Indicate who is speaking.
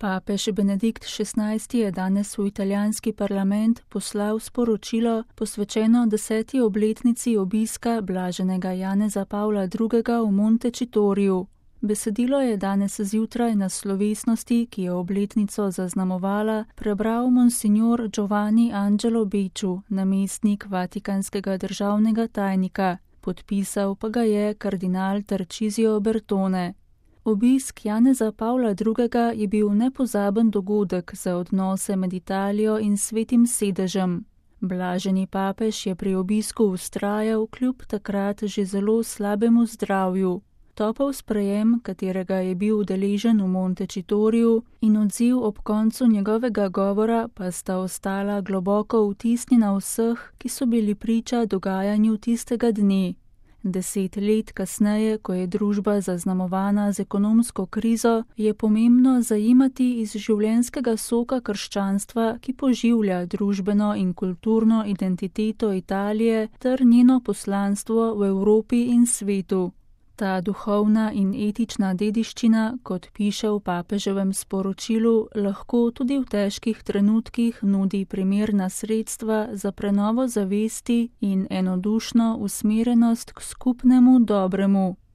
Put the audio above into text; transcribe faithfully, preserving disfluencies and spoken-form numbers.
Speaker 1: Papež Benedikt šestnajsti je danes v italijanski parlament poslal sporočilo posvečeno deseti obletnici obiska blaženega Janeza Pavla drugega v Montecitorio. Besedilo je danes zjutraj na slovesnosti, ki je obletnico zaznamovala, prebral monsignor Giovanni Angelo Becciu, namestnik vatikanskega državnega tajnika, podpisal pa ga je kardinal Tarcisio Bertone. Obisk Janeza Pavla drugega je bil nepozaben dogodek za odnose med Italijo in Svetim sedežem. Blaženi papež je pri obisku vztrajal kljub takrat že zelo slabemu zdravju. Topel sprejem, katerega je bil udeležen v Montecitoriu, in odziv ob koncu njegovega govora pa sta ostala globoko vtisnjena vseh, ki so bili priča dogajanju tistega dne. Deset let kasneje, ko je družba zaznamovana z ekonomsko krizo, je pomembno zajemati iz življenjskega soka krščanstva, ki poživlja družbeno in kulturno identiteto Italije ter njeno poslanstvo v Evropi in svetu. Ta duhovna in etična dediščina, kot piše v papeževem sporočilu, lahko tudi v težkih trenutkih nudi primerna sredstva za prenovo zavesti in enodušno usmerjenost k skupnemu dobremu.